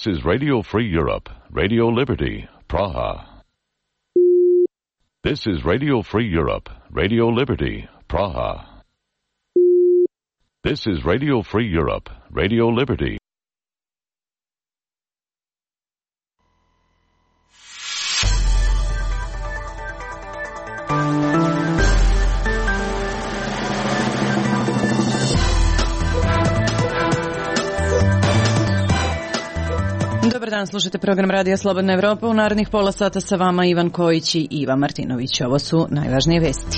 is Radio Free Europe, Radio Liberty, Praha. This is Radio Free Europe, Radio Liberty, Praha. This is Radio Free Europe, Radio Liberty. Dobar dan, slušate program Radija Slobodna Evropa. U narednih pola sata sa vama Ivan Kojić i Iva Martinović. Ovo su najvažnije vesti.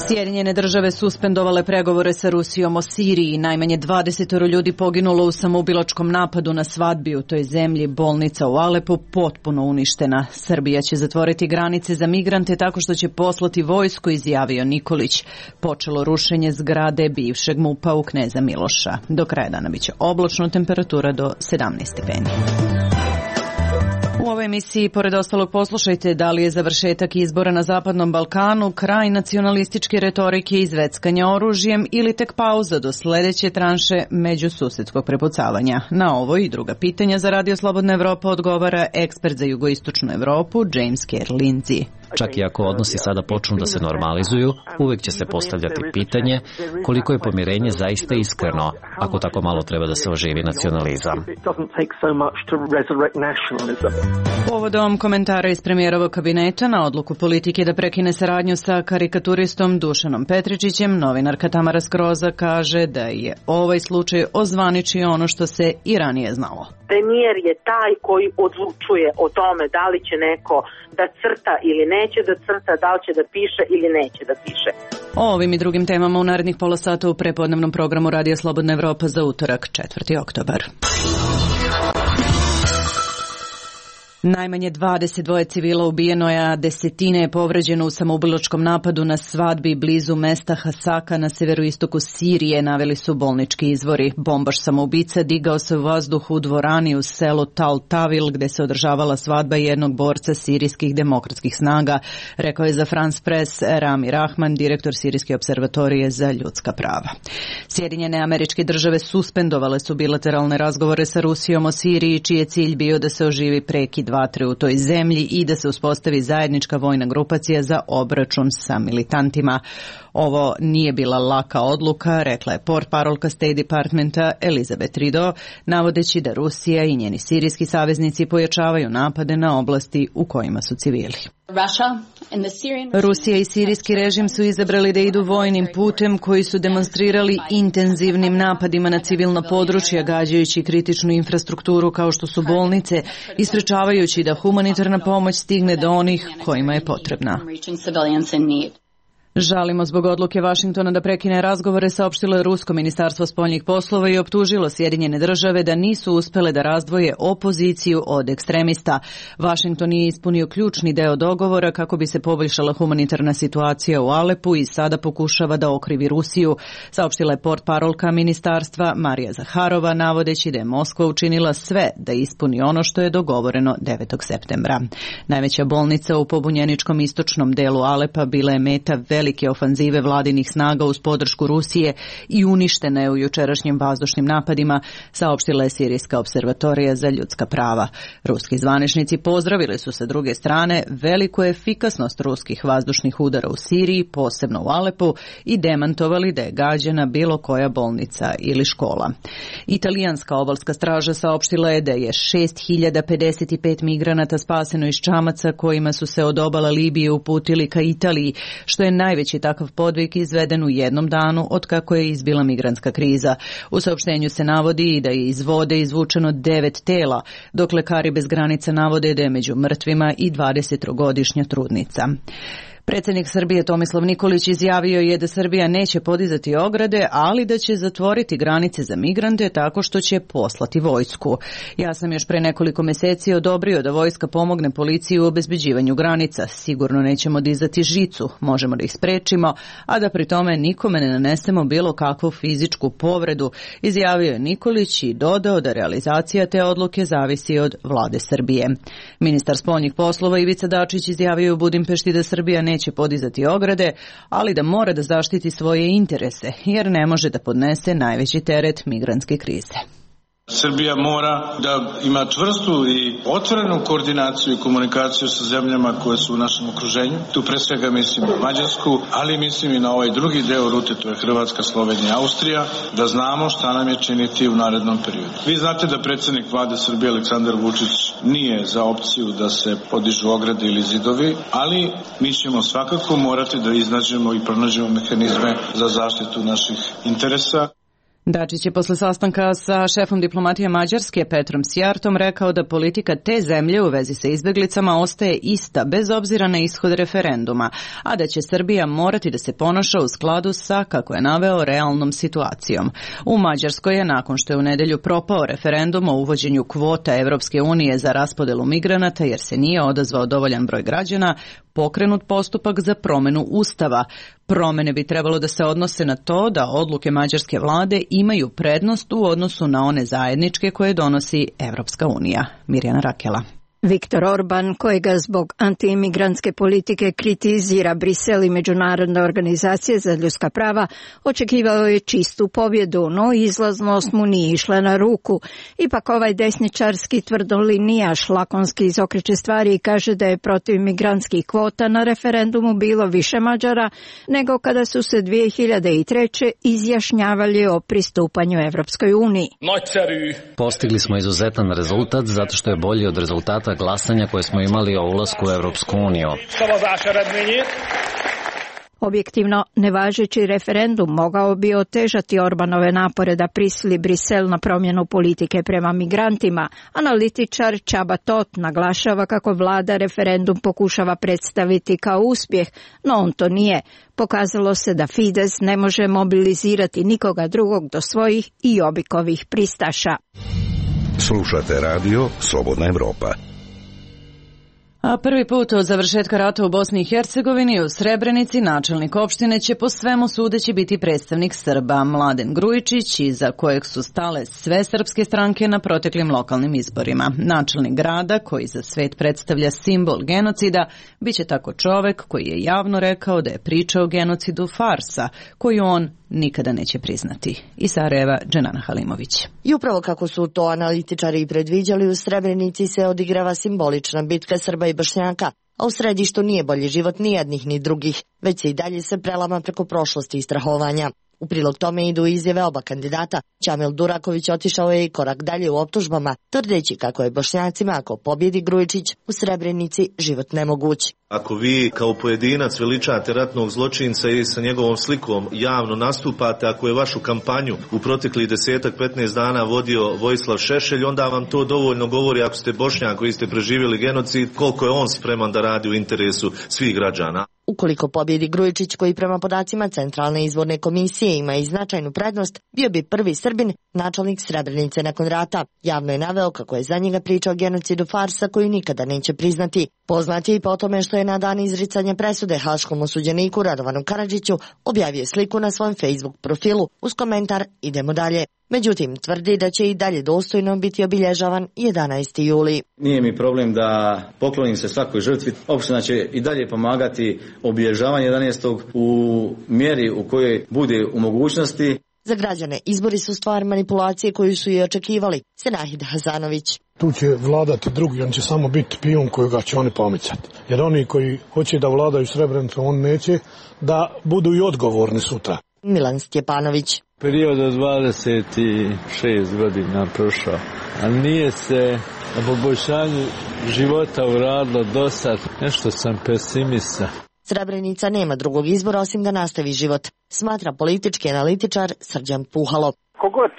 Sjedinjene države suspendovale pregovore sa Rusijom o Siriji. Najmanje 20 ljudi poginulo u samoubilačkom napadu na svadbi u toj zemlji. Bolnica u Alepu potpuno uništena. Srbija će zatvoriti granice za migrante tako što će poslati vojsku, izjavio Nikolić. Počelo rušenje zgrade bivšeg MUP-a u Kneza Miloša. Do kraja dana biće oblačno, temperatura do 17 stepeni. U ovoj emisiji, pored ostalog, poslušajte da li je završetak izbora na Zapadnom Balkanu kraj nacionalističke retorike i zveckanja oružjem ili tek pauza do sledeće tranše međususedskog prepucavanja. Na ovo i druga pitanja za Radio Slobodna Evropa odgovara ekspert za jugoistočnu Evropu James Kerr Lindsay. Čak i ako odnosi sada počnu da se normalizuju, uvek će se postavljati pitanje koliko je pomirenje zaista iskreno, ako tako malo treba da se oživi nacionalizam. Povodom komentara iz premijerovog kabineta na odluku politike da prekine saradnju sa karikaturistom Dušanom Petričićem, novinarka Tamara Skroza kaže da je ovaj slučaj ozvaničio ono što se i ranije znalo. Premijer je taj koji odlučuje o tome da li će neko da crta ili neće da crta, da li će da piše ili neće da piše. O ovim i drugim temama u narednih pola sata u prepodnevnom programu Radija Slobodna Evropa za utorak 4. oktobar. Najmanje 22 civila ubijeno je, a desetine je povređeno u samoubilačkom napadu na svadbi blizu mesta Hasaka na severoistoku Sirije, naveli su bolnički izvori. Bombaš samoubica digao se u vazduh u dvorani u selu Tal Tavil, gde se održavala svadba jednog borca sirijskih demokratskih snaga, rekao je za France Press Rami Rahman, direktor Sirijske observatorije za ljudska prava. Sjedinjene Američke Države suspendovale su bilateralne razgovore sa Rusijom o Siriji, čiji je cilj bio da se oživi prekid vatre u toj zemlji i da se uspostavi zajednička vojna grupacija za obračun sa militantima. Ovo nije bila laka odluka, rekla je portparolka State Departmenta Elizabeth Trudeau, navodeći da Rusija i njeni sirijski saveznici pojačavaju napade na oblasti u kojima su civili. Rusija i sirijski režim su izabrali da idu vojnim putem koji su demonstrirali intenzivnim napadima na civilna područja, gađajući kritičnu infrastrukturu kao što su bolnice i sprečavajući da humanitarna pomoć stigne do onih kojima je potrebna. Žalimo zbog odluke Vašingtona da prekine razgovore, saopštilo je Rusko ministarstvo spoljnih poslova i optužilo Sjedinjene države da nisu uspele da razdvoje opoziciju od ekstremista. Vašington je ispunio ključni deo dogovora kako bi se poboljšala humanitarna situacija u Alepu i sada pokušava da okrivi Rusiju, saopštila je portparolka ministarstva Marija Zaharova, navodeći da je Moskva učinila sve da ispuni ono što je dogovoreno 9. septembra. Najveća bolnica u pobunjeničkom istočnom delu Alepa bila je meta velike ofanzive vladinih snaga uz podršku Rusije i uništena je u jučerašnjim vazdušnim napadima, saopštila je Sirijska observatorija za ljudska prava. Ruski zvaničnici pozdravili su sa druge strane veliku efikasnost ruskih vazdušnih udara u Siriji, posebno u Alepu, i demantovali da je gađena bilo koja bolnica ili škola. Italijanska obalska straža saopštila je da je 6055 migranata spaseno iz čamaca kojima su se od obala Libije uputili ka Italiji, što je najveći takav podvig izveden u jednom danu od kako je izbila migrantska kriza. U saopštenju se navodi i da je iz vode izvučeno 9 tela, dok lekari bez granica navode da je među mrtvima i 20-godišnja trudnica. Predsjednik Srbije Tomislav Nikolić izjavio je da Srbija neće podizati ograde, ali da će zatvoriti granice za migrante tako što će poslati vojsku. Ja sam još pre nekoliko meseci odobrio da vojska pomogne policiji u obezbeđivanju granica. Sigurno nećemo dizati žicu, možemo da ih sprečimo, a da pri tome nikome ne nanesemo bilo kakvu fizičku povredu, izjavio je Nikolić i dodao da realizacija te odluke zavisi od vlade Srbije. Ministar spoljnih poslova Ivica Dačić izjavio u Budimpešti da Srbija neće podizati ograde, ali da mora da zaštiti svoje interese, jer ne može da podnese najveći teret migrantske krize. Srbija mora da ima čvrstu i otvorenu koordinaciju i komunikaciju sa zemljama koje su u našem okruženju. Tu pre svega mislim na Mađarsku, ali mislim i na ovaj drugi deo rute, to je Hrvatska, Slovenija i Austrija, da znamo šta nam je činiti u narednom periodu. Vi znate da predsjednik Vlade Srbije Aleksandar Vučić nije za opciju da se podižu ograde ili zidovi, ali mi ćemo svakako morati da iznađemo i pronađemo mehanizme za zaštitu naših interesa. Dačić je posle sastanka sa šefom diplomatije Mađarske Petrom Sjartom rekao da politika te zemlje u vezi sa izbeglicama ostaje ista bez obzira na ishod referenduma, a da će Srbija morati da se ponaša u skladu sa, kako je naveo, realnom situacijom. U Mađarskoj je, nakon što je u nedelju propao referendum o uvođenju kvota Evropske unije za raspodelu migranata jer se nije odazvao dovoljan broj građana, pokrenut postupak za promenu Ustava. Promene bi trebalo da se odnose na to da odluke mađarske vlade imaju prednost u odnosu na one zajedničke koje donosi Evropska unija. Mirjana Rakela. Viktor Orban, kojega zbog antiimigrantske politike kritizira Brisel i Međunarodne organizacije za ljudska prava, očekivao je čistu pobjedu, no izlaznost mu nije išla na ruku. Ipak ovaj desničarski tvrdolinijaš lakonski izokreće stvari i kaže da je protiv imigrantskih kvota na referendumu bilo više Mađara nego kada su se 2003. izjašnjavali o pristupanju Evropskoj uniji. Postigli smo izuzetan rezultat zato što je bolji od rezultata glasanja koje smo imali o ulasku u Evropsku uniju. Objektivno, nevažeći referendum mogao bi otežati Orbanove napore da prisili Brisel na promjenu politike prema migrantima. Analitičar Csaba Tot naglašava kako vlada referendum pokušava predstaviti kao uspjeh, no on to nije. Pokazalo se da Fides ne može mobilizirati nikoga drugog do svojih i Jobikovih pristaša. Slušate radio Slobodna Evropa. A prvi put od završetka rata u Bosni i Hercegovini u Srebrenici načelnik opštine će po svemu sudeći biti predstavnik Srba Mladen Grujičić, iza kojeg su stale sve srpske stranke na proteklim lokalnim izborima. Načelnik grada, koji za svet predstavlja simbol genocida, biće tako čovek koji je javno rekao da je priča o genocidu farsa, koju on nikada neće priznati. Iz Sarajeva, Dženana Halimović. I upravo kako su to analitičari predviđali, u Srebrenici se odigrava simbolična bitka Srba i Bošnjaka, a u središtu nije bolji život ni jednih ni drugih, već se i dalje se prelama preko prošlosti i strahovanja. U prilog tome idu izjave oba kandidata. Čamil Duraković otišao je i korak dalje u optužbama, tvrdeći kako je Bošnjacima, ako pobjedi Grujičić, u Srebrenici život nemoguć. Ako vi kao pojedinac veličate ratnog zločinca i sa njegovom slikom javno nastupate, ako je vašu kampanju u proteklih 10-15 dana vodio Vojislav Šešelj, onda vam to dovoljno govori, ako ste Bošnjak koji ste preživjeli genocid, koliko je on spreman da radi u interesu svih građana. Ukoliko pobjedi Grujičić, koji prema podacima Centralne izborne komisije ima i značajnu prednost, bio bi prvi Srbin načelnik Srebrenice nakon rata. Javno je naveo kako je za njega pričao o genocidu farsa koju nikada neće priznati. Poznat je i po tome što je na dan izricanja presude haškom osuđeniku Radovanu Karadžiću objavio sliku na svom Facebook profilu uz komentar "Idemo dalje". Međutim, tvrdi da će i dalje dostojno biti obilježavan 11. juli. Nije mi problem da poklonim se svakoj žrtvi. Opština će i dalje pomagati obilježavanje 11. u mjeri u kojoj bude u mogućnosti. Za građane izbori su stvar manipulacije koju su i očekivali. Senahid Hazanović. Tu će vladati drugi, on će samo biti pijun kojega će oni pomicati. Jer oni koji hoće da vladaju Srebrenicom, on neće da budu i odgovorni sutra. Milan Stjepanović. Period od 26 godina prošao, a nije se na poboljšanju života uradilo do sad. Nešto sam pesimista. Srebrenica nema drugog izbora osim da nastavi život, smatra politički analitičar Srđan Puhalo. Kogod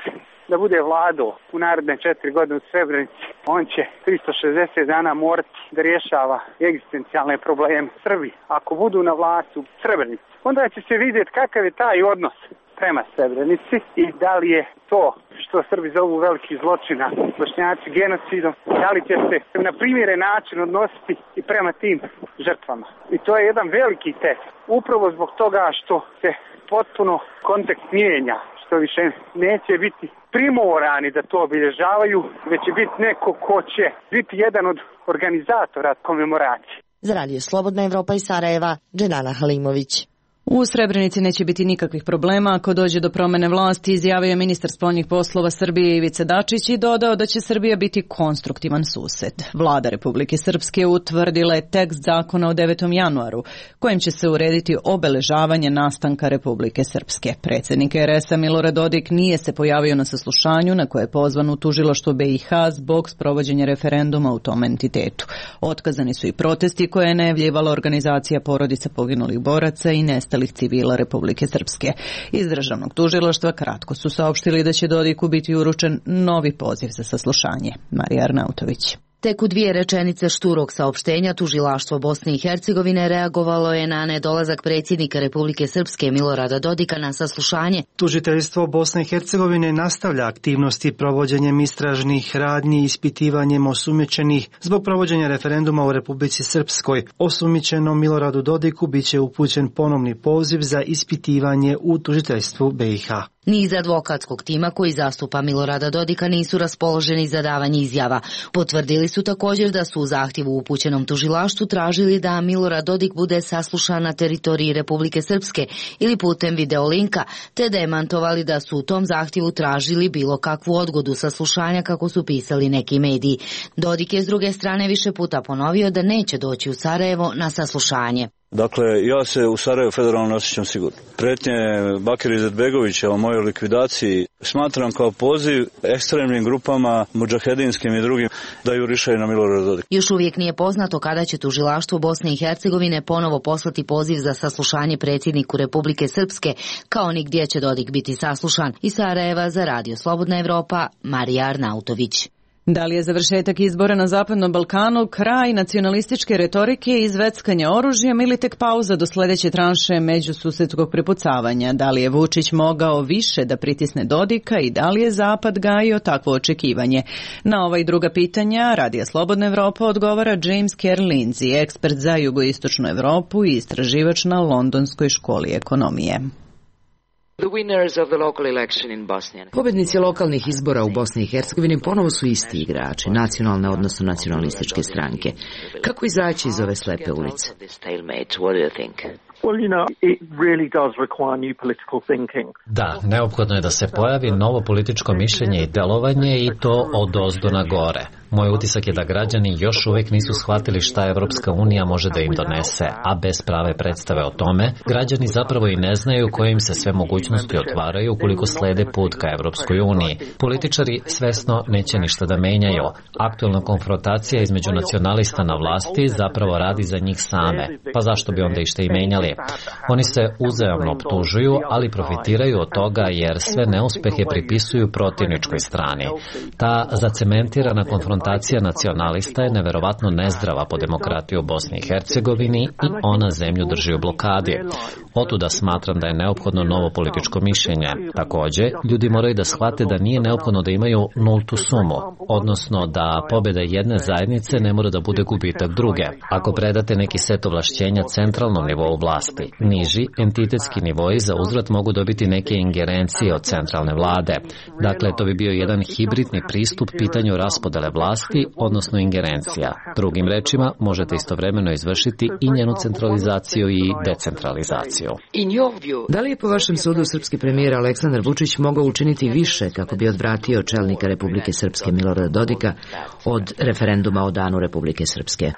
da bude vladao u naredne 4 godine u Srebrenici, on će 360 dana morati da rješava egzistencijalne probleme Srbi. Ako budu na vlasti u Srebrenici, onda će se vidjeti kakav je taj odnos prema Srebrenici i da li je to što Srbi zovu veliki zločina, Bošnjaci genocidom, da li će se na primjeren način odnositi i prema tim žrtvama. I to je jedan veliki test. Upravo zbog toga što se potpuno kontekst mijenja, što više neće biti primorani da to obilježavaju, već će biti neko ko će biti jedan od organizatora komemoracije. Za Radio Slobodna Evropa iz Sarajeva, Dženana Halimović. U Srebrenici neće biti nikakvih problema ako dođe do promene vlasti, izjavio je ministar spoljnih poslova Srbije Ivica Dačić i dodao da će Srbija biti konstruktivan sused. Vlada Republike Srpske utvrdila je tekst zakona o 9. januaru, kojim će se urediti obeležavanje nastanka Republike Srpske. Predsjednik RS-a Milorad Dodik nije se pojavio na saslušanju na koje je pozvan u tužilaštvo BiH zbog sprovođenja referenduma u tom entitetu. Otkazani su i protesti koje je najavljivala organizacija porodica poginulih boraca i nestalih civila Republike Srpske. Iz državnog tužilaštva kratko su saopštili da će Dodiku biti uručen novi poziv za saslušanje. Marija Arnautović. Tek u 2 rečenice šturog saopštenja tužilaštvo Bosne i Hercegovine reagovalo je na nedolazak predsjednika Republike Srpske Milorada Dodika na saslušanje. Tužiteljstvo Bosne i Hercegovine nastavlja aktivnosti provođenjem istražnih radnji i ispitivanjem osumnjičenih zbog provođenja referenduma u Republici Srpskoj. Osumnjičenom Miloradu Dodiku biće upućen ponovni poziv za ispitivanje u tužiteljstvu BiH. Ni iz advokatskog tima koji zastupa Milorada Dodika nisu raspoloženi za davanje izjava. Potvrdili su također da su u zahtjevu upućenom tužilaštvu tražili da Milorad Dodik bude saslušan na teritoriji Republike Srpske ili putem videolinka, te demantovali da su u tom zahtjevu tražili bilo kakvu odgodu saslušanja kako su pisali neki mediji. Dodik je s druge strane više puta ponovio da neće doći u Sarajevo na saslušanje. Dakle, ja se u Sarajevu federalno ne osjećam sigurno. Pretnje Bakira Izetbegovića o mojoj likvidaciji smatram kao poziv ekstremnim grupama, mudžahedinskim i drugim, da jurišaju na Milorada Dodika. Još uvijek nije poznato kada će tužilaštvo Bosne i Hercegovine ponovo poslati poziv za saslušanje predsjedniku Republike Srpske, kao ni gdje će Dodik biti saslušan. Iz Sarajeva za Radio Slobodna Evropa, Marija Arnautović. Da li je završetak izbora na Zapadnom Balkanu kraj nacionalističke retorike i izveckanja oružjem ili tek pauza do sljedeće tranše međususedskog prepucavanja? Da li je Vučić mogao više da pritisne Dodika i da li je Zapad gajio takvo očekivanje? Na ova i druga pitanja Radija Slobodna Evropa odgovara James Kerr Lindsay, ekspert za jugoistočnu Evropu i istraživač na Londonskoj školi ekonomije. Pobednici lokalnih izbora u Bosni i Hercegovini ponovo su isti igrači, nacionalne odnosno nacionalističke stranke. Kako izaći iz ove slepe ulice? Da, neophodno je da se pojavi novo političko mišljenje i delovanje i to od ozdo na gore. Moj utisak je da građani još uvijek nisu shvatili šta Evropska unija može da im donese, a bez prave predstave o tome, građani zapravo i ne znaju koje im se sve mogućnosti otvaraju ukoliko slede put ka Evropskoj uniji. Političari svesno neće ništa da menjaju. Aktualna konfrontacija između nacionalista na vlasti zapravo radi za njih same, pa zašto bi onda išta i menjali? Oni se uzajamno optužuju, ali profitiraju od toga jer sve neuspehe pripisuju protivničkoj strani. Ta zacementirana konfrontacija nacionalista je neverovatno nezdrava po demokratiju u Bosni i Hercegovini i ona zemlju drži u blokadi. Otuda smatram da je neophodno novo političko mišljenje. Također, ljudi moraju da shvate da nije neophodno da imaju nultu sumu, odnosno da pobjeda jedne zajednice ne mora da bude gubitak druge. Ako predate neki set ovlašćenja centralnom nivou vlasti, niži entitetski nivoji za uzvrat mogu dobiti neke ingerencije od centralne vlade. Dakle, to bi bio jedan hibridni pristup pitanju raspodele vlasti, odnosno ingerencija. Drugim rečima, možete istovremeno izvršiti i njenu centralizaciju i decentralizaciju. Da li je po vašem sudu srpski premijer Aleksandar Vučić mogao učiniti više kako bi odvratio čelnika Republike Srpske Milorada Dodika od referenduma o danu Republike Srpske?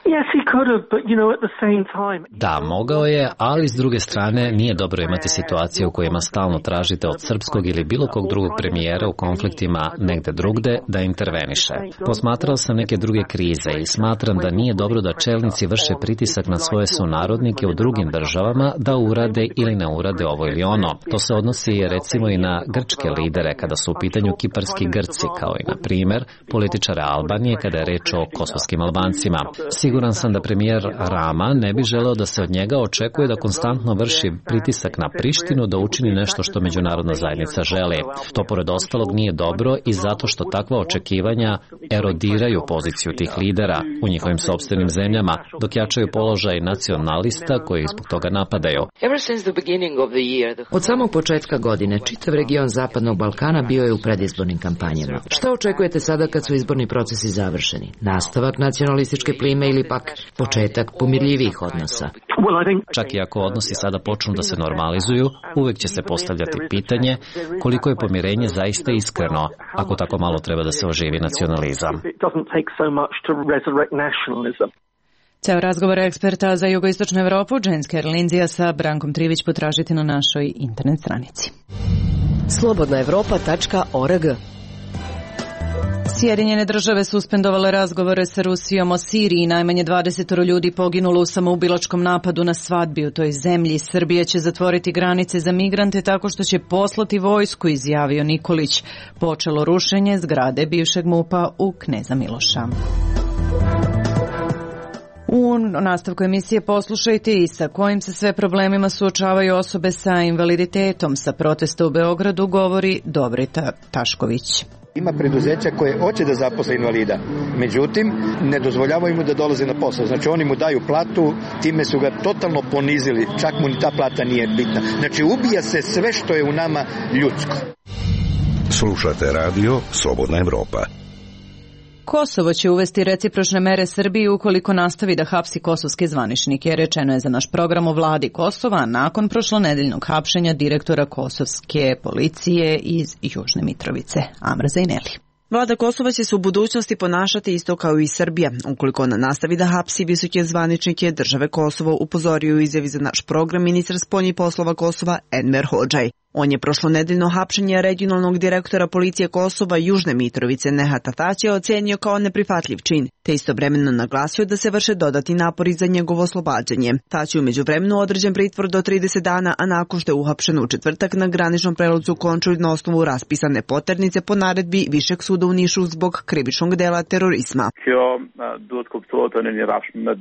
Da, mogao je, ali s druge strane nije dobro imati situacije u kojima stalno tražite od srpskog ili bilo kog drugog premijera u konfliktima negde drugde da interveniše. Posmatrao sam neke druge krize i smatram da nije dobro da čelnici vrše pritisak na svoje sunarodnike u drugim državama da urade ili ne urade ovo ili ono. To se odnosi recimo i na grčke lidere kada su u pitanju kiparski Grci, kao i na primjer političare Albanije kada je reč o kosovskim Albancima. Siguran sam da premijer Rama ne bi želeo da se od njega očekuje da konstantno vrši pritisak na Prištinu da učini nešto što međunarodna zajednica želi. To pored ostalog nije dobro i zato što takva očekivanja erodiraju poziciju tih lidera u njihovim sopstvenim zemljama, dok jačaju položaj nacionalista koji zbog toga napadaju. Od samog početka godine čitav region Zapadnog Balkana bio je u predizbornim kampanjama. Šta očekujete sada kad su izborni procesi završeni? Nastavak nacionalističke plime ili pak početak pomirljivih odnosa? Čak i ako odnosi sada počnu da se normalizuju, uvek će se postavljati pitanje koliko je pomirenje zaista iskreno, ako tako malo treba da se oživi nacionalizam. Ceo razgovor eksperta za jugoistočnu Evropu, Jane Skerlinzija sa Brankom Trivić, potražiti na našoj internet stranici. Slobodnaevropa.org. Sjedinjene države suspendovale razgovore sa Rusijom o Siriji. Najmanje 20 ljudi poginulo u samoubilačkom napadu na svadbi u toj zemlji. Srbija će zatvoriti granice za migrante tako što će poslati vojsku, izjavio Nikolić. Počelo rušenje zgrade bivšeg MUP-a u Kneza Miloša. U nastavku emisije poslušajte i sa kojim se sve problemima suočavaju osobe sa invaliditetom. Sa protesta u Beogradu govori Dobrita Tašković. Ima preduzeća koje hoće da zaposle invalida, međutim ne dozvoljavaju mu da dolaze na posao. Znači oni mu daju platu, time su ga totalno ponizili, čak mu ni ta plata nije bitna. Znači ubija se sve što je u nama ljudsko. Slušate radio Slobodna Evropa. Kosovo će uvesti recipročne mere Srbiji ukoliko nastavi da hapsi kosovske zvaničnike, rečeno je za naš program o vladi Kosova nakon prošlonedeljnog hapšenja direktora kosovske policije iz Južne Mitrovice, Amra Zajneli. Vlada Kosova će se u budućnosti ponašati isto kao i Srbija, ukoliko ona nastavi da hapsi visoke zvaničnike države Kosovo, upozorio u izjavi za naš program ministar spoljnih poslova Kosova Enver Hodžaj. On je prošlonedeljno hapšenje regionalnog direktora policije Kosova Južne Mitrovice Nehata Taća ocenio kao neprihvatljiv čin, te istovremeno naglasio da se vrše dodatni napori za njegovo oslobađanje. Tać je u međuvremenu određen pritvor do 30 dana, a nakon što je uhapšen u četvrtak na graničnom prelazu Končulj na osnovu raspisane poternice po naredbi Višeg suda u Nišu zbog krivičnog dela terorizma.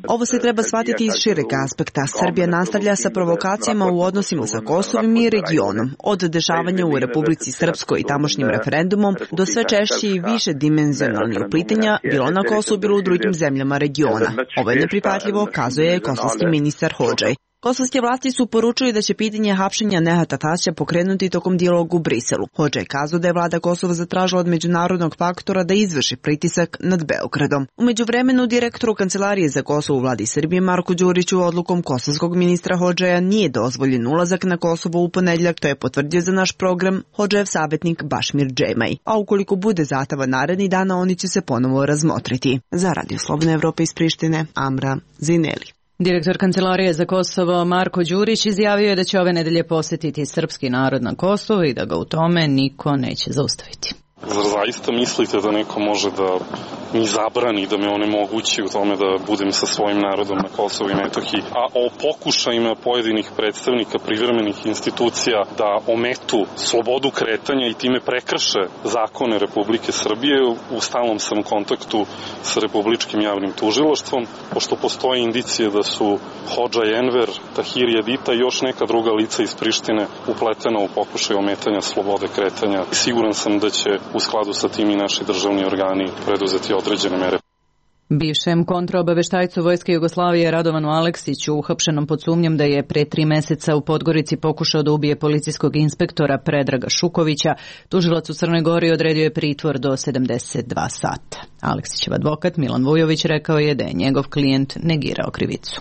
Ovo se treba shvatiti iz šireg aspekta. Srbija nastavlja sa provokacijama u odnosima sa Kosovim i regionom. Od dešavanja u Republici Srpskoj i tamošnjim referendumom do sve češće i više dimenzionalnih uplitanja bilo na Kosovu, bilo u drugim zemljama regiona. Ovo je neprihvatljivo, kazuje kosovski ministar Hodžaj. Kosovske vlasti su poručili da će pitanje hapšenja Nehata Taća pokrenuti tokom dijaloga u Briselu. Hodžaj kazao da je vlada Kosova zatražila od međunarodnog faktora da izvrši pritisak nad Beogradom. U međuvremenu direktoru Kancelarije za Kosovo u vladi Srbije Marku Đuriću odlukom kosovskog ministra Hodžaja nije dozvoljen ulazak na Kosovo u ponedjeljak, to je potvrdio za naš program Hodžajev savjetnik Bašmir Džejmaj. A ukoliko bude zahteva narednih dana, oni će se ponovo razmotriti. Za Radio Slobodna Evropa iz Prištine, Amra Zineli. Direktor Kancelarije za Kosovo Marko Đurić izjavio je da će ove nedelje posjetiti srpski narod na Kosovo i da ga u tome niko neće zaustaviti. Zar zaista mislite da neko može da mi zabrani, da me onemogući u tome da budem sa svojim narodom na Kosovu i Metohiji? A o pokušajima pojedinih predstavnika privremenih institucija da ometu slobodu kretanja i time prekrše zakone Republike Srbije, u stalnom sam kontaktu sa Republičkim javnim tužilaštvom, pošto postoje indicije da su Hodžaj Enver, Tahir Jedita i još neka druga lica iz Prištine upletena u pokušaj ometanja slobode kretanja. Siguran sam da će u skladu sa tim i naši državni organi preduzeti određene mere. Bivšem kontraobaveštajcu Vojske Jugoslavije Radovanu Aleksiću, uhapšenom pod sumnjom da je pre 3 meseca u Podgorici pokušao da ubije policijskog inspektora Predraga Šukovića, tužilac u Crnoj Gori odredio je pritvor do 72 sata. Aleksićev advokat Milan Vujović rekao je da je njegov klijent negirao krivicu.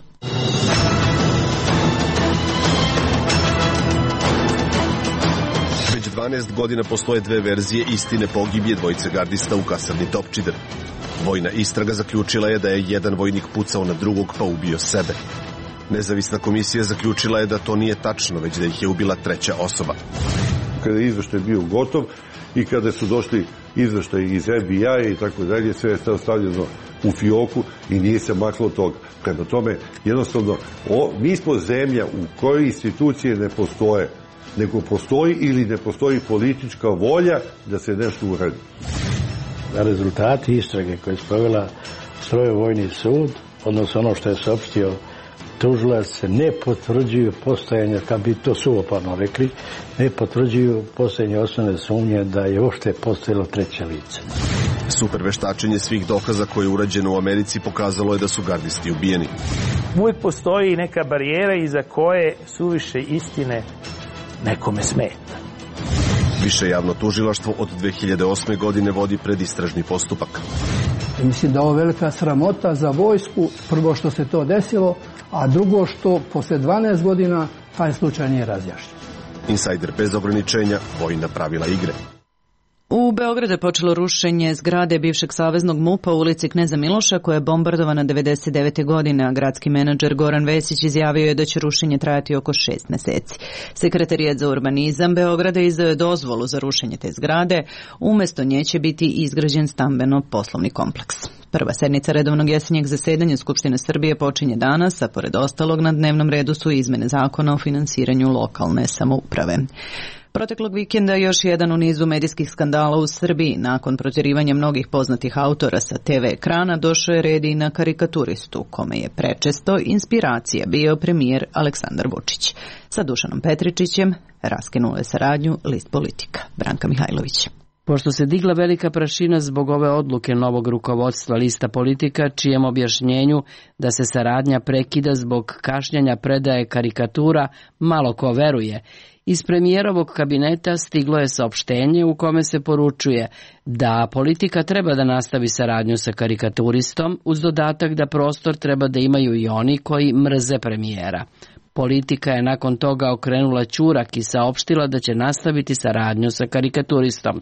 Već 12 godina postoje dve verzije istine pogibije dvojice gardista u kasarni Topčider. Vojna istraga zaključila je da je jedan vojnik pucao na drugog pa ubio sebe. Nezavisna komisija zaključila je da to nije tačno, već da ih je ubila treća osoba. Kada je izveštaj bio gotov i kada su došli izveštaj iz FBI i tako dalje, sve je stavljeno u fioku i nije se maklo od toga. Prema tome, jednostavno, mi smo zemlja u kojoj institucije ne postoje, nego postoji ili ne postoji politička volja da se nešto uradi. Rezultati istrage koje je sprovela Strojevojni sud, odnosno ono što je saopštio tužilac, ne potvrđuju postojanje, kad bi to suvoparno rekli, ne potvrđuju postojanje osnovne sumnje da je uopšte postojalo treće lice. Super veštačenje svih dokaza koje je urađeno u Americi pokazalo je da su gardisti ubijeni. Uvijek postoji neka barijera iza koje suviše istine nekome smeta. Više javno tužilaštvo od 2008. godine vodi predistražni postupak. Mislim da je ovo velika sramota za vojsku, prvo što se to desilo, a drugo što posle 12 godina taj slučaj nije razjašnjen. Insajder bez ograničenja, vojna pravila igre. U Beogradu je počelo rušenje zgrade bivšeg saveznog MUP-a u ulici Kneza Miloša koja je bombardovana 99. godine, a gradski menadžer Goran Vesić izjavio je da će rušenje trajati oko 6 meseci. Sekretarijat za urbanizam Beograda izdao je dozvolu za rušenje te zgrade, umesto nje će biti izgrađen stambeno-poslovni kompleks. Prva sednica redovnog jesenjeg zasedanja Skupštine Srbije počinje danas, a pored ostalog na dnevnom redu su izmene zakona o finansiranju lokalne samouprave. Proteklog vikenda još jedan u nizu medijskih skandala u Srbiji. Nakon protjerivanja mnogih poznatih autora sa TV ekrana došao je red i na karikaturistu, kome je prečesto inspiracija bio premijer Aleksandar Vučić. Sa Dušanom Petričićem raskinulo je saradnju List Politika. Branka Mihajlović. Pošto se digla velika prašina zbog ove odluke novog rukovodstva Lista Politika, čijem objašnjenju da se saradnja prekida zbog kašnjenja predaje karikatura, malo ko veruje. Iz premijerovog kabineta stiglo je saopštenje u kome se poručuje da Politika treba da nastavi saradnju sa karikaturistom, uz dodatak da prostor treba da imaju i oni koji mrze premijera. Politika je nakon toga okrenula ćurak i saopštila da će nastaviti saradnju sa karikaturistom.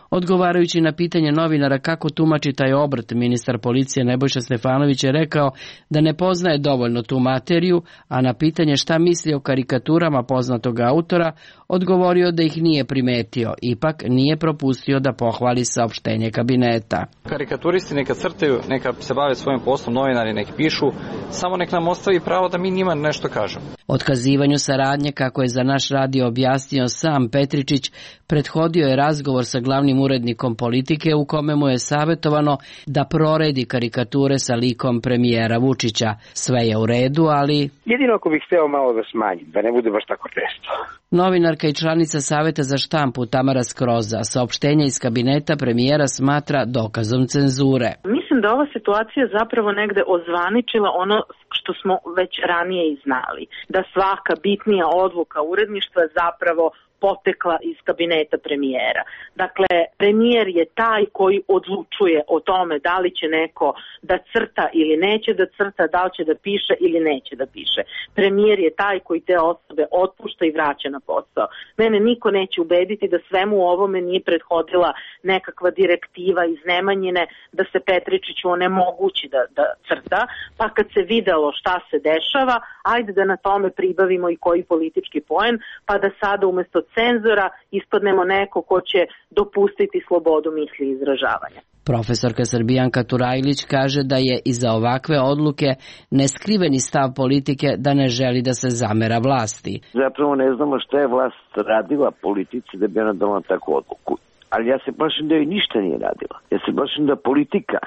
Odgovarajući na pitanje novinara kako tumači taj obrt, ministar policije Nebojša Stefanović je rekao da ne poznaje dovoljno tu materiju, a na pitanje šta misli o karikaturama poznatog autora, odgovorio da ih nije primetio, ipak nije propustio da pohvali saopštenje kabineta. Karikaturisti neka crtaju, neka se bave svojim poslom, novinari neka pišu, samo nek nam ostavi pravo da mi njima nešto kažemo. Otkazivanju saradnje, kako je za naš radio objasnio sam Petričić, prethodio je razgovor sa glavnim urednikom Politike u kome mu je savjetovano da proredi karikature sa likom premijera Vučića. Sve je u redu, ali... Jedino ako bih hteo malo da smanjim, da ne bude baš tako često. Novinarka i članica Saveta za štampu Tamara Skroza saopštenja iz kabineta premijera smatra dokazom cenzure. Mislim da ova situacija zapravo negde ozvaničila ono što smo već ranije i znali. Da svaka bitnija odluka uredništva zapravo potekla iz kabineta premijera. Dakle, premijer je taj koji odlučuje o tome da li će neko da crta ili neće da crta, da li će da piše ili neće da piše. Premijer je taj koji te osobe otpušta i vraća na posao. Mene niko neće ubediti da svemu ovome nije prethodila nekakva direktiva iz Nemanjine da se Petričiću onemogući da crta, pa kad se videlo šta se dešava, ajde da na tome pribavimo i koji politički poen, pa da sada umesto cenzora ispadnemo neko ko će dopustiti slobodu misli i izražavanja. Profesorka Srbijanka Turajlić kaže da je iza ovakve odluke neskriveni stav Politike da ne želi da se zamera vlasti. Zapravo ne znamo šta je vlast radila politici da bi ona dala takvu odluku. Ali ja se plašim da joj ništa nije radila. Ja se plašim da Politika,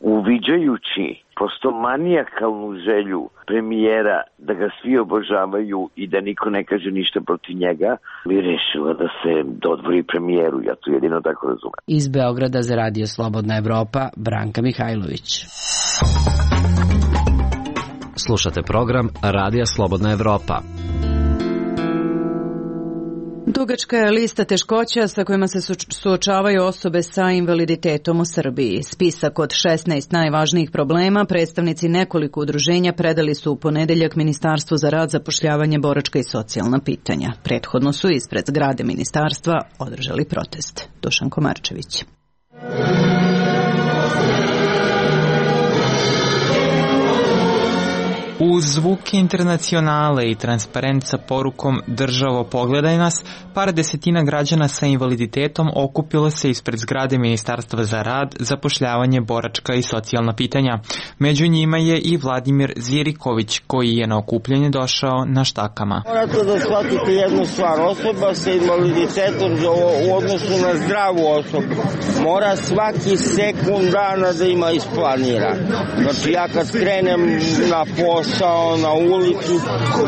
uviđajući prosto manijakalnu želju premijera da ga svi obožavaju i da niko ne kaže ništa protiv njega, bi rešila da se dodvori premijeru. Ja to jedino tako razumem. Iz Beograda za Radio Slobodna Evropa, Branka Mihajlović. Slušate program Radija Slobodna Evropa. Dugačka je lista teškoća sa kojima se suočavaju osobe sa invaliditetom u Srbiji. Spisak od 16 najvažnijih problema predstavnici nekoliko udruženja predali su u ponedeljak Ministarstvu za rad, zapošljavanje, boračka i socijalna pitanja. Prethodno su ispred zgrade ministarstva održali protest. Dušan Komarčević. Uz zvuke internacionale i transparent sa porukom "Državo, pogledaj nas", par desetina građana sa invaliditetom okupilo se ispred zgrade Ministarstva za rad, zapošljavanje, boračka i socijalna pitanja. Među njima je i Vladimir Zvjeriković, koji je na okupljanje došao na štakama. Morate da shvatite jednu stvar, osoba sa invaliditetom u odnosu na zdravu osobu mora svaki sekund dana da ima isplaniran. Znači ja kad krenem na posao, izašao na ulicu,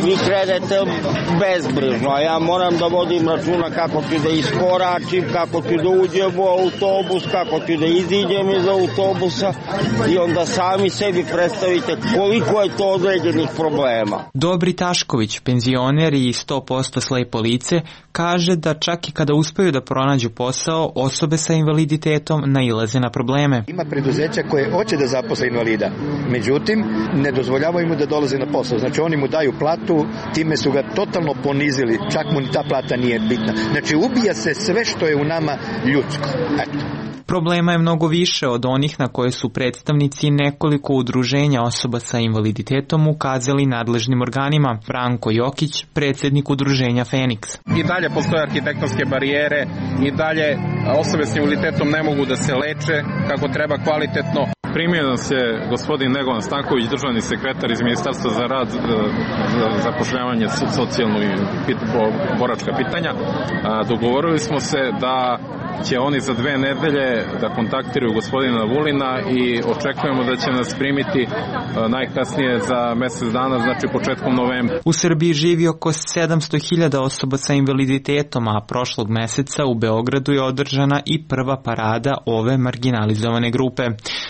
vi krenete bezbrižno, a ja moram da vodim računa kako ću da iskoračim, kako ću da uđem u autobus, kako ću da iziđem iz autobusa i onda sami sebi predstavite koliko je to određenih problema. Dobri Tašković, penzioner i 100% slepo lice, kaže da čak i kada uspeju da pronađu posao, osobe sa invaliditetom nailaze na probleme. Ima preduzeća koje hoće da zaposle invalida, međutim, ne dozvoljavaju mu da dolaze na posao. Znači, oni mu daju platu, time su ga totalno ponizili, čak mu ni ta plata nije bitna. Znači, ubija se sve što je u nama ljudsko. Eto. Problema je mnogo više od onih na koje su predstavnici nekoliko udruženja osoba sa invaliditetom ukazali nadležnim organima. Franko Jokić, predsjednik udruženja Feniks. I dalje postoje arhitektonske barijere, i dalje osobe s invaliditetom ne mogu da se leče kako treba kvalitetno. Primio nas je gospodin Negovan Stanković, državni sekretar iz Ministarstva za rad, za zapošljavanje, socijalnu i boračka pitanja. Dogovorili smo se da će oni za 2 nedelje da kontaktiraju gospodina Vulina i očekujemo da će nas primiti najkasnije za mjesec dana, znači početkom novembra. U Srbiji živi oko 700.000 osoba sa invaliditetom, a prošlog meseca u Beogradu je održana i prva parada ove marginalizovane grupe.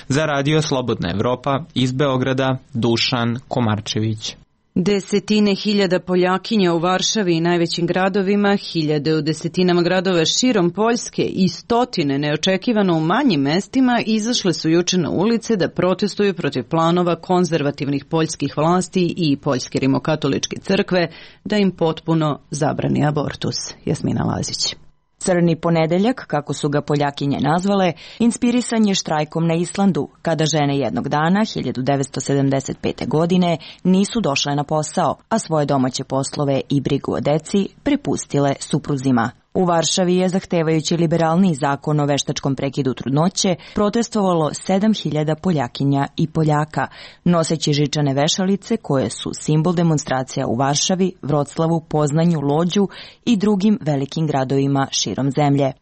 Za Radio Slobodna Evropa iz Beograda, Dušan Komarčević. Desetine hiljada Poljakinja u Varšavi i najvećim gradovima, hiljade u desetinama gradova širom Poljske i stotine neočekivano u manjim mestima izašle su juče na ulice da protestuju protiv planova konzervativnih poljskih vlasti i Poljske rimokatoličke crkve da im potpuno zabrani abortus. Jasmina Lazić. Crni ponedeljak, kako su ga Poljakinje nazvale, inspirisan je štrajkom na Islandu, kada žene jednog dana, 1975. godine, nisu došle na posao, a svoje domaće poslove i brigu o deci prepustile supruzima. U Varšavi je, zahtevajući liberalniji zakon o veštačkom prekidu trudnoće, protestovalo 7.000 Poljakinja i Poljaka, noseći žičane vešalice koje su simbol demonstracija u Varšavi, Vroclavu, Poznanju, Lođu i drugim velikim gradovima širom zemlje.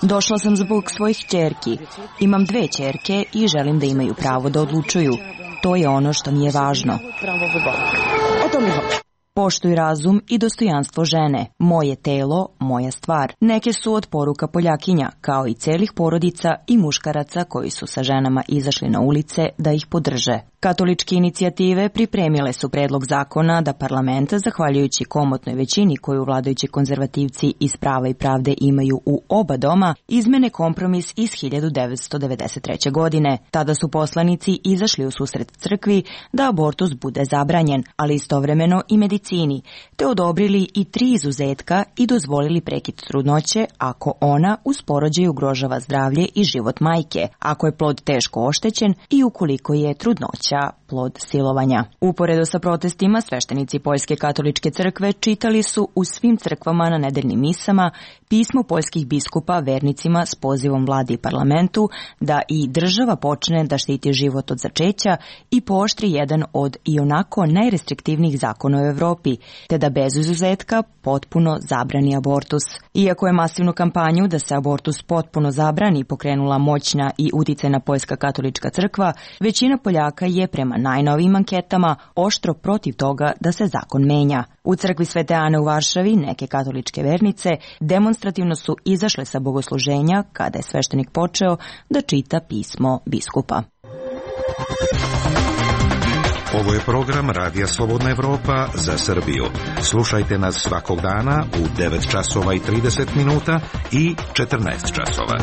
Došla sam zbog svojih ćerki. Imam 2 ćerke i želim da imaju pravo da odlučuju. To je ono što mi je važno. Poštuj razum i dostojanstvo žene. Moje telo, moja stvar. Neke su od poruka Poljakinja, kao i celih porodica i muškaraca koji su sa ženama izašli na ulice da ih podrže. Katoličke inicijative pripremile su predlog zakona da parlament, zahvaljujući komotnoj većini koju vladajući konzervativci iz Prava i pravde imaju u oba doma, izmene kompromis iz 1993. godine. Tada su poslanici izašli u susret crkvi da abortus bude zabranjen, ali istovremeno i medicini, te odobrili i 3 izuzetka i dozvolili prekid trudnoće ako ona uz porođaj ugrožava zdravlje i život majke, ako je plod teško oštećen i ukoliko je trudnoća plod silovanja. Uporedo sa protestima, sveštenici Poljske katoličke crkve čitali su u svim crkvama na nedeljnim misama pismo poljskih biskupa vernicima s pozivom vladi i parlamentu da i država počne da štiti život od začeća i pooštri jedan od ionako najrestriktivnijih zakona u Evropi, te da bez izuzetka potpuno zabrani abortus. Iako je masivnu kampanju da se abortus potpuno zabrani pokrenula moćna i uticajna Poljska katolička crkva, većina Poljaka je prema najnovijim anketama oštro protiv toga da se zakon menja. U crkvi Svete Ane u Varšavi neke katoličke vernice demonstrativno su izašle sa bogosluženja kada je sveštenik počeo da čita pismo biskupa. Ovo je program Radija Slobodna Evropa za Srbiju. Slušajte nas svakog dana u 9 časova i 30 minuta i 14 časova.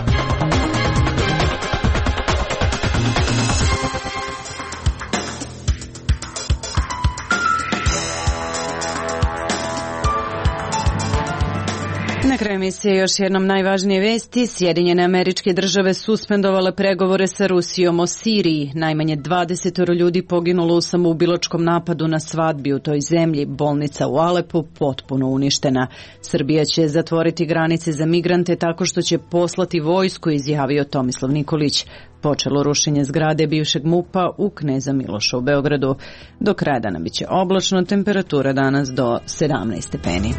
Na kraju emisije još jednom najvažnije vesti. Sjedinjene Američke Države suspendovale pregovore sa Rusijom o Siriji. Najmanje 20 ljudi poginulo u samoubilačkom napadu na svadbi u toj zemlji. Bolnica u Alepu potpuno uništena. Srbija će zatvoriti granice za migrante tako što će poslati vojsku, izjavio Tomislav Nikolić. Počelo rušenje zgrade bivšeg MUP-a u Kneza Miloša u Beogradu. Do kraja dana biće oblačno, temperatura danas do 17 stepeni.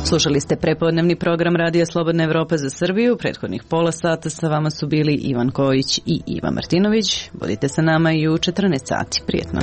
Slušali ste prepodnevni program Radija Slobodna Evropa za Srbiju. Prethodnih pola sata sa vama su bili Ivan Kojić i Iva Martinović. Budite sa nama i u 14 sati. Prijetno.